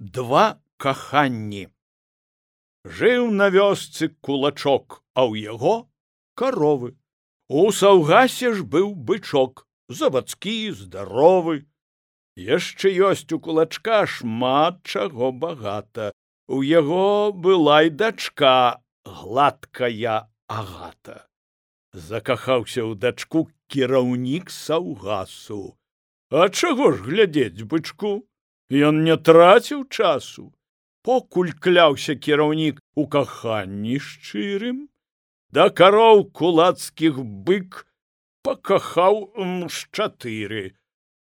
Два каханні. Жыў на вёсцы кулачок, а ў яго каровы. У саўгасе ж быў бычок, завадскі, здаровы. Яшчэ ёсць у кулачка шмат чаго багата. У яго была і дачка, гладкая Агата. Закахаўся ў дачку кіраўнік саўгасу. А чаго ж глядзець бычку? Ён не траціў часу. Покуль кляўся кіраўнік у каханні шчырым, да кароў кулацкіх бык пакахаў з 4.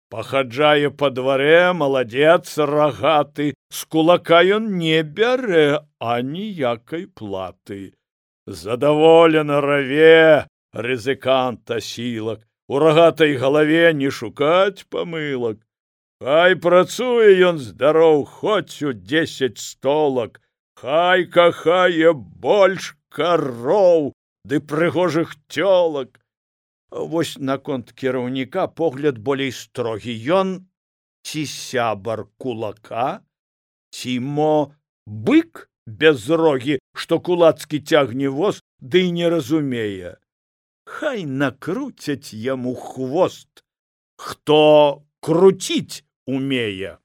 Пахаджае па дварэ, маладзец рагаты, з кулака ён не бярэ аніякай платы. Задаволена раве рызыкант асілак, у рагатай галаве не шукаць памылак. Хай працуе ён здароў хоць у 10 столак, хай кахае больш кароў ды прыгожых цёлак. Вось наконт кіраўніка погляд болей строгі. Ён ці сябар кулака, ці мо бык без рогі, што кулацкі цягне воз, ды не разумее. Хай накруцяць яму хвост, хто круціць умее.